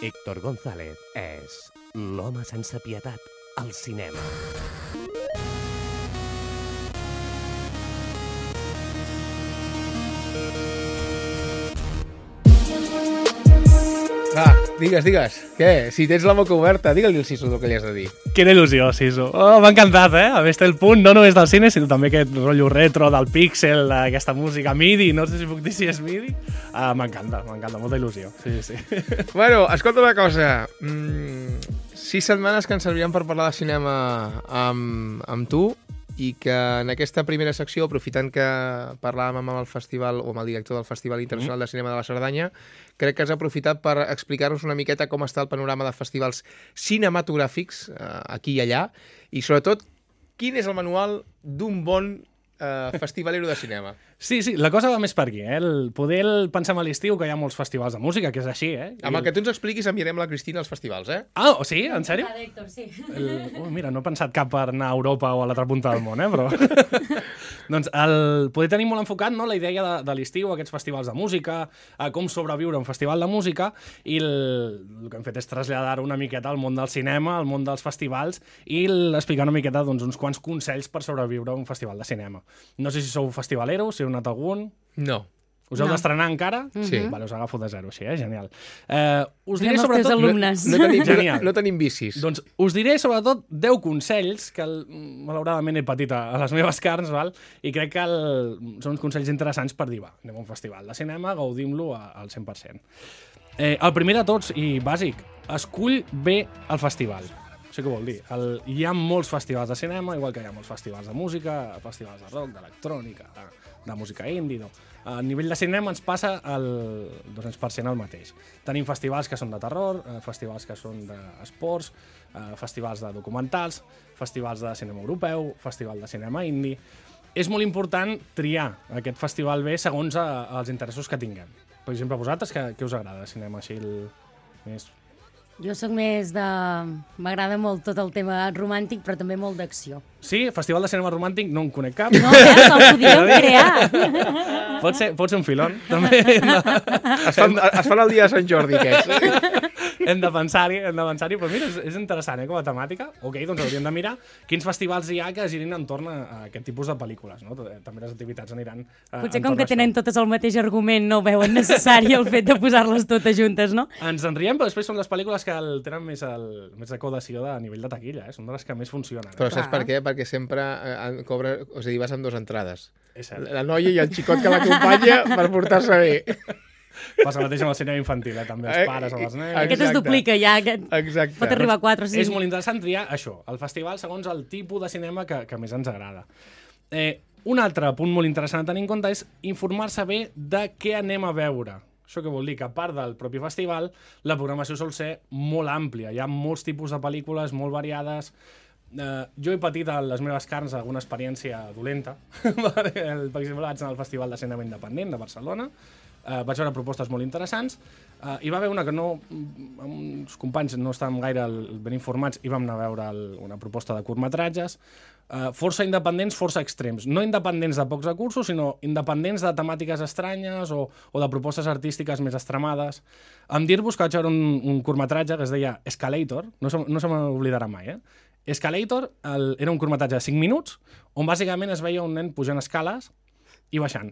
Héctor González és l'home sense pietat al cinema. Va, digues. Què? Si tens la boca oberta, digue-li al Sisu el que li has de dir. Quina il·lusió, Sisu. Oh, m'ha encantat, Haver estat el punt, no només del cine, sinó també aquest rotllo retro del píxel, aquesta música MIDI, no sé si puc dir si és MIDI. M'encanta, molta il·lusió. Sí. Bueno, escolta una cosa. 6 setmanes que ens serviran per parlar de cinema amb tu i que en aquesta primera secció, aprofitant que parlàvem amb el festival o amb el director del Festival Internacional de Cinema de la Cerdanya, crec que has aprofitat per explicar-nos una miqueta com està el panorama de festivals cinematogràfics aquí i allà i, sobretot, quin és el manual d'un bon festivalero de cinema. Sí, la cosa va més per aquí, pensem a l'estiu que hi ha molts festivals de música, que és així, Amb el que tu ens expliquis enviarem la Cristina als festivals, Ah, sí? En sèrio? Héctor, sí. Mira, no he pensat cap per anar a Europa o a l'altra punta del món, però... Doncs poder tenir molt enfocat, no, la idea de l'estiu, aquests festivals de música, com sobreviure a un festival de música, i el que hem fet és traslladar una miqueta al món del cinema, al món dels festivals, i explicar una miqueta uns quants consells per sobreviure a un festival de cinema. No sé si sou festivaleros, si heu anat a algun... No. Us heu d'estrenar encara? Sí. Vale, us agafo de zero, així, genial. Us diré sobretot... alumnes. No tenim bicis. Doncs us diré sobretot 10 consells que malauradament he patit a les meves carns, val? I crec que són uns consells interessants per dir, anem a un festival de cinema, gaudim-lo al 100%. El primer de tots, i bàsic, escull bé el festival. Això què vol dir? Hi ha molts festivals de cinema, igual que hi ha molts festivals de música, festivals de rock, d'electrònica, de música indie, no. A nivell de cinema ens passa el 200% el mateix. Tenim festivals que són de terror, festivals que són d'esports, festivals de documentals, festivals de cinema europeu, festival de cinema indie. És molt important triar aquest festival bé segons els interessos que tinguem. Per exemple, vosaltres, què us agrada de cinema així més... Jo sóc més de... M'agrada molt tot el tema romàntic, però també molt d'acció. Sí? Festival de cinema romàntic no en conec cap. No, el podríem crear. Pot ser un filón, també. Es fan el dia de Sant Jordi, aquests. Hem de pensar-hi, però mira, és interessant, com a temàtica. Ok, doncs hauríem de mirar quins festivals hi ha que girin entorn a aquest tipus de pel·lícules, no? També les activitats aniran potser com que tenen totes el mateix argument no veuen necessari el fet de posar-les totes juntes, no? Ens en riem, però després són les pel·lícules que tenen més decodació a nivell de taquilla, Són de les que més funcionen. Però saps per què? Perquè sempre vas amb 2 entrades. És cert. La noia i el xicot que l'acompanya per portar-se bé. Passa el mateix amb el cinema infantil, també els pares o les nenes. Aquest es duplica ja, Exacte. Pot arribar a 4 o 5. És molt interessant triar això, el festival segons el tipus de cinema que més ens agrada. Un altre punt molt interessant a tenir en compte és informar-se bé de què anem a veure. Això què vol dir? Que a part del propi festival, la programació sol ser molt àmplia. Hi ha molts tipus de pel·lícules, molt variades. Jo he patit a les meves carns alguna experiència dolenta. Per exemple, vaig anar al Festival de Cinema Independent de Barcelona, vaig veure propostes molt interessants, hi va haver una que uns companys no estàvem gaire ben informats i vam anar a veure una proposta de curtmetratges, força independents, força extrems. No independents de pocs recursos, sinó independents de temàtiques estranyes o de propostes artístiques més extremades. Em dir-vos que vaig veure un curtmetratge que es deia Escalator, no se m'oblidarà mai, Escalator era un curtmetratge de 5 minuts on bàsicament es veia un nen pujant escales i baixant.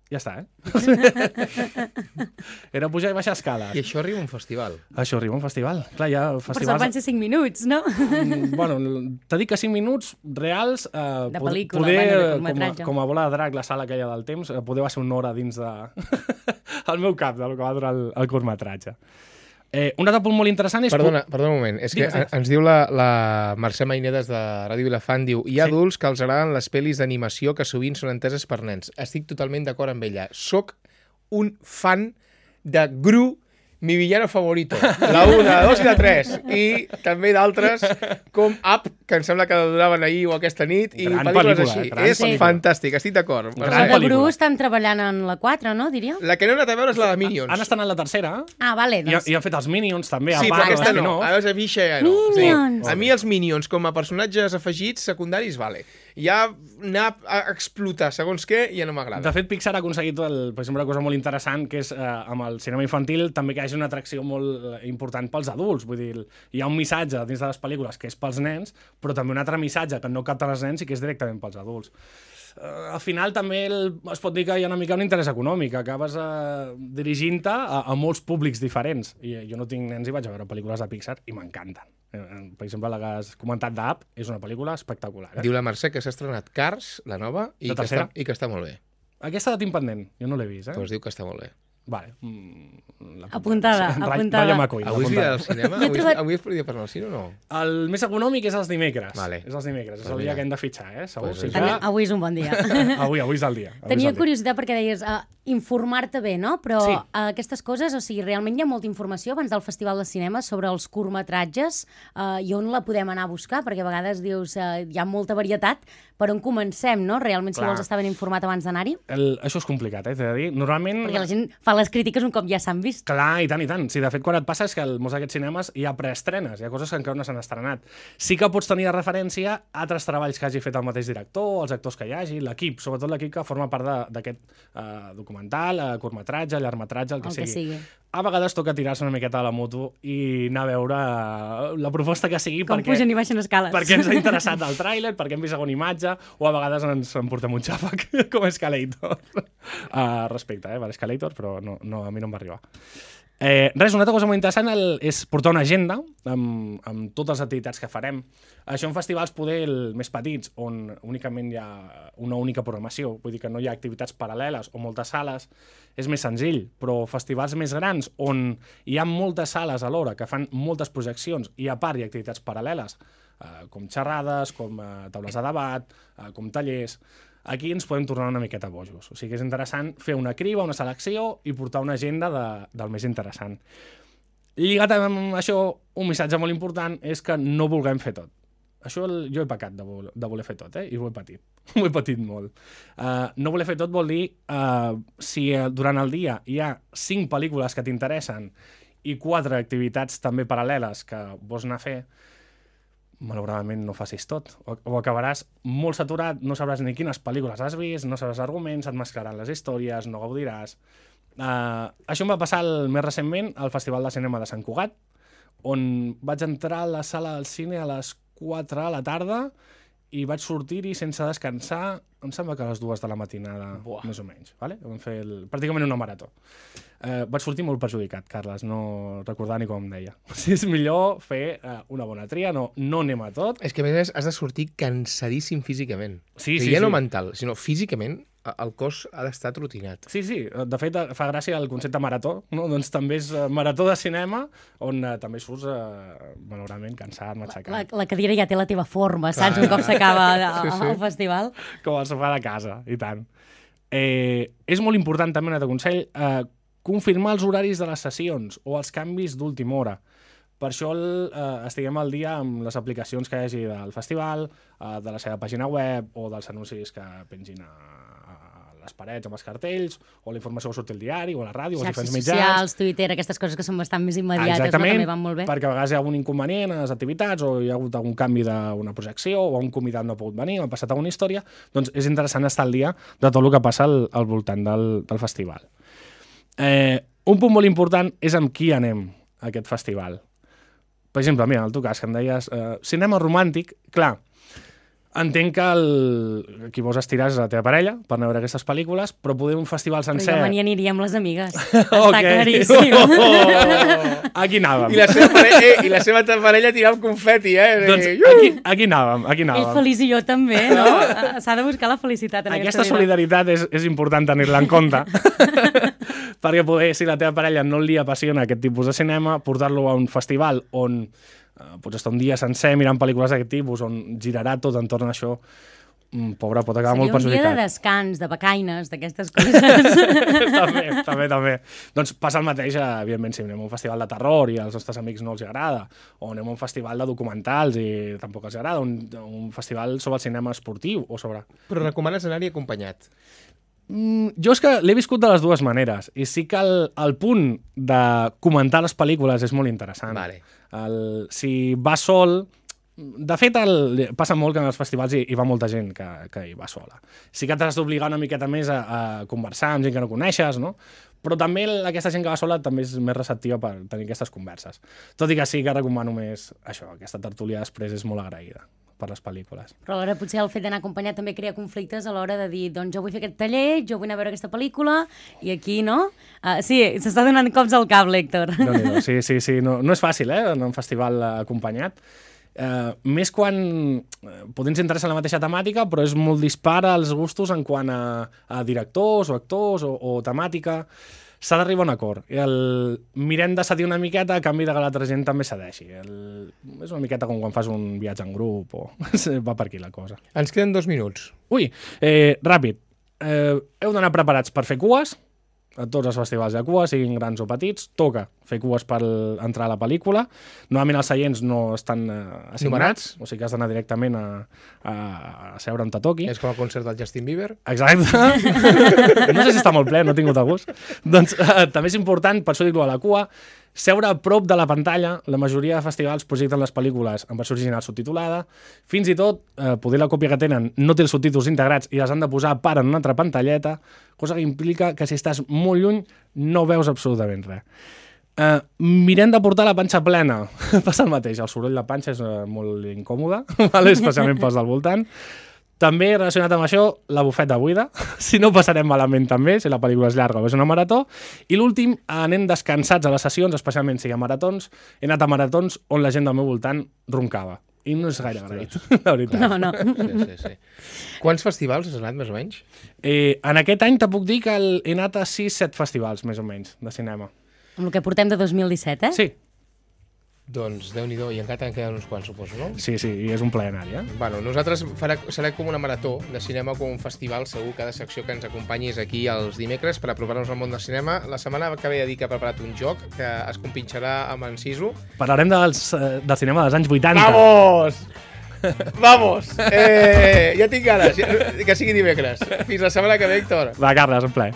Ja està, Era pujar i baixar escales. I això arriba a un festival. Això arriba a un festival. Clar, hi ha festivals... Per sort van ser 5 minuts, no? Bueno, t'he dit que 5 minuts reals... De pel·lícula, de curtmetratge. Com a bola de drac, la sala aquella del temps, poder va ser una hora dins de... el meu cap, del que va durar el curtmetratge. Un altre punt molt interessant és... Perdona un moment. És que ens diu la Mercè Mainedes de Ràdio Vilafant, diu hi ha adults que els agraden les pel·lis d'animació que sovint són enteses per nens. Estic totalment d'acord amb ella. Soc un fan de Gru, mi villano favorito. La 1, la 2 i la 3. I també d'altres com Up, que em sembla que duraven ahir o aquesta nit, i pel·lícules així. És fantàstic, estic d'acord. La de Gru estan treballant en la 4, no, diríeu? La que no he anat a veure és la de Minions. Han estat en la tercera. Ah, vale, doncs. I han fet els Minions també. Sí, però aquesta no. A veure, Misha ja no. Minions! A mi els Minions, com a personatges afegits secundaris, vale. Ja anar a explotar segons què ja no m'agrada. De fet, Pixar ha aconseguit, per exemple, una cosa molt interessant, que és amb el cinema infantil també que hi hagi una atracció molt important pels adults. Vull dir, hi ha un missatge dins de les pel·lícules que és pels nens, però també un altre missatge que no capten els nens i que és directament pels adults. Al final també es pot dir que hi ha una mica un interès econòmic, acabes dirigint-te a molts públics diferents. I jo no tinc nens i vaig a veure pel·lícules de Pixar i m'encanten. Per exemple, la que has comentat d'Up és una pel·lícula espectacular. Diu la Mercè que s'ha estrenat Cars, la nova, i que està molt bé. Aquesta la tinc pendent, jo no l'he vist. Doncs diu que està molt bé. Vale. Apuntada. Rayo McCoy. Avui és dia del cinema? Avui és dia per anar al cine o no? El més econòmic és els dimecres. Vale. És els dimecres, és el dia que hem de fitxar, Segur. Pues Sí que... Avui és un bon dia. Avui és el dia. Tenia curiositat perquè deies informar-te bé, no? Però aquestes coses, o sigui, realment hi ha molta informació abans del Festival de Cinema sobre els curtmetratges i on la podem anar a buscar, perquè a vegades dius hi ha molta varietat, per on comencem, no? Realment, si vols estar ben informat abans d'anar-hi. Això és complicat, t'he de dir. Normalment... Perquè la gent fa les crítiques un cop ja s'han vist. Clar, i tant, i tant. Sí, de fet, quan et passa és que molts d'aquests cinemes hi ha preestrenes, hi ha coses que encara no s'han estrenat. Sí que pots tenir de referència altres treballs que hagi fet el mateix director, els actors que hi hagi, l'equip, sobretot l'equip que forma part d'aquest documental, curtmetratge, llargmetratge, el que sigui. A vegades toca tirar-se una miqueta a la moto i anar a veure la proposta que sigui com pugen i baixen escales. Perquè ens ha interessat el tràiler, perquè hem vist alguna imatge, o a vegades ens emportem un xàfec com Escalator. Respecte, per Escalator, però no, a mi no em va arribar. Res, una altra cosa molt interessant és portar una agenda amb totes les activitats que farem. Això en festivals poder més petits, on únicament hi ha una única programació, vull dir que no hi ha activitats paral·leles o moltes sales, és més senzill, però festivals més grans on hi ha moltes sales alhora que fan moltes projeccions i a part hi ha activitats paral·leles, com xerrades, com taules de debat, com tallers. Aquí ens podem tornar una miqueta bojos. O sigui que és interessant fer una criba, una selecció i portar una agenda del més interessant. Lligat amb això, un missatge molt important és que no vulguem fer tot. Això jo he pecat de voler fer tot, i ho he patit. Ho he patit molt. No voler fer tot vol dir si durant el dia hi ha 5 pel·lícules que t'interessen i 4 activitats també paral·leles que vols anar a fer, malauradament no facis tot. O acabaràs molt saturat, no sabràs ni quines pel·lícules has vist, no sabràs arguments, et mesclaran les històries, no gaudiràs. Això em va passar més recentment al Festival de Cinema de Sant Cugat, on vaig entrar a la sala del cine a les 4 a la tarda i vaig sortir-hi sense descansar, em sembla que a les 2 de la matinada, més o menys. Vale? Vam fer pràcticament una marató. Vaig sortir molt perjudicat, Carles, no recordar ni com em deia. Si és millor fer una bona tria, no anem a tot. És que a més has de sortir cansadíssim físicament. Sí, ja no mental, sinó físicament el cos ha d'estar trotinat. Sí, de fet fa gràcia el concepte marató, no? Doncs també és marató de cinema, on també surts, malauradament, cansat, matxacat. La cadira ja té la teva forma, saps? Un cop s'acaba el festival. Com el sofà de casa, i tant. És molt important també, un altre consell, confirmar els horaris de les sessions o els canvis d'última hora. Per això estiguem al dia amb les aplicacions que hi hagi del festival, de la seva pàgina web o dels anuncis que pengin a les parets amb els cartells, o la informació que surt al diari, o a la ràdio, o als diferents mitjans. Xarxes socials, Twitter, aquestes coses que són bastant més immediates, no? També van molt bé. Perquè a vegades hi ha algun inconvenient a les activitats, o hi ha hagut algun canvi d'una projecció, o un convidat no ha pogut venir, o ha passat alguna història, doncs és interessant estar al dia de tot el que passa al voltant del festival. Un punt molt important és amb qui anem a aquest festival. Per exemple, mira, en el teu cas, que em deies cinema romàntic, clar, entenc que qui vols estirar és la teva parella per anar a veure aquestes pel·lícules, però poder un festival sencer... Però jo me n'hi aniria amb les amigues. Està claríssim. Aquí anàvem. I la seva parella tirava el confeti, Doncs aquí anàvem. Ell feliç i jo també, no? S'ha de buscar la felicitat en aquesta vida. Aquesta solidaritat és important tenir-la en compte, perquè poder, si la teva parella no li apassiona aquest tipus de cinema, portar-lo a un festival on pots estar un dia sencer mirant pel·lícules d'aquest tipus, on girarà tot entorn a això, pobre, pot acabar molt perjudicat. Seria un dia de descans, de becaines, d'aquestes coses. També. Doncs passa el mateix, evidentment, si anem a un festival de terror i als nostres amics no els agrada, o anem a un festival de documentals i tampoc els agrada, un festival sobre el cinema esportiu o sobre... Però recomanes anar-hi acompanyat? Jo és que l'he viscut de les dues maneres, i sí que el punt de comentar les pel·lícules és molt interessant. Vale. Si vas sol, De fet, passa molt que en els festivals hi va molta gent que hi va sola. Sí que t'has d'obligar una miqueta més a conversar amb gent que no coneixes, no? Però també aquesta gent que va sola també és més receptiva per tenir aquestes converses. Tot i que sí que recomano més això, aquesta tertúlia després és molt agraïda per les pel·lícules. Però alhora potser el fet d'anar acompanyat també crea conflictes a l'hora de dir, doncs jo vull fer aquest taller, jo vull anar a veure aquesta pel·lícula, i aquí, no? Sí, s'està donant cops al cable, Héctor. Sí, no és fàcil, en un festival acompanyat. Més quan potser ens interessa la mateixa temàtica, però és molt dispar als gustos en quant a directors o actors o temàtica. S'ha d'arribar a un acord. Mirem de cedir una miqueta a canvi que l'altra gent també cedeixi. És una miqueta com quan fas un viatge en grup o va per aquí la cosa. Ens queden 2 minuts. Ui, ràpid. Heu d'anar preparats per fer cues. A tots els festivals de cua, siguin grans o petits, toca fer cues per entrar a la pel·lícula. Normalment els seients no estan assignats, o sigui que has d'anar directament a seure on te toqui. És com el concert del Justin Bieber. Exacte. No sé si està molt ple, no he tingut a gust. Doncs també és important, per això dic-ho a la cua, seure a prop de la pantalla. La majoria de festivals projecten les pel·lícules en versió original subtitulada. Fins i tot, poder la còpia que tenen no té els subtítols integrats i les han de posar a part en una altra pantalleta, cosa que implica que si estàs molt lluny no veus absolutament res. Mirem de portar la panxa plena. Passa el mateix, el soroll de panxa és molt incòmode, especialment pels del voltant. També, relacionat amb això, la bufeta buida. Si no, passarem malament també, si la pel·lícula és llarga o és una marató. I l'últim, anem descansats a les sessions, especialment si hi ha maratons. He anat a maratons on la gent del meu voltant roncava. I no és gaire agraït, la veritat. No. Sí. Quants festivals has anat, més o menys? En aquest any te puc dir que he anat a 6-7 festivals, més o menys, de cinema. Amb el que portem de 2017, Sí. Doncs, Déu-n'hi-do, i encara t'han quedat uns quants, suposo, no? Sí, i és un plaer anar-hi, Bueno, nosaltres serà com una marató de cinema, com un festival, segur, cada secció que ens acompanyis aquí els dimecres per apropar-nos al món del cinema. La setmana que ve de dir que ha preparat un joc que es compinxarà amb en Sisu. Parlarem del cinema dels anys 80. Vamos! Ja tinc ganes, que sigui dimecres. Fins la setmana que ve, Héctor. Va, Carles, un plaer.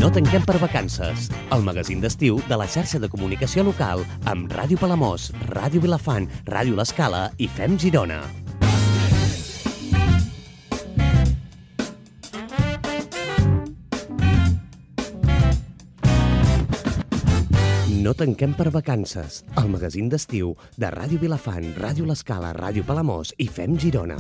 No tanquem per vacances. El magazín d'estiu de la xarxa de comunicació local amb Ràdio Palamós, Ràdio Vilafant, Ràdio L'Escala i Fem Girona. No tanquem per vacances. El magazín d'estiu de Ràdio Vilafant, Ràdio L'Escala, Ràdio Palamós i Fem Girona.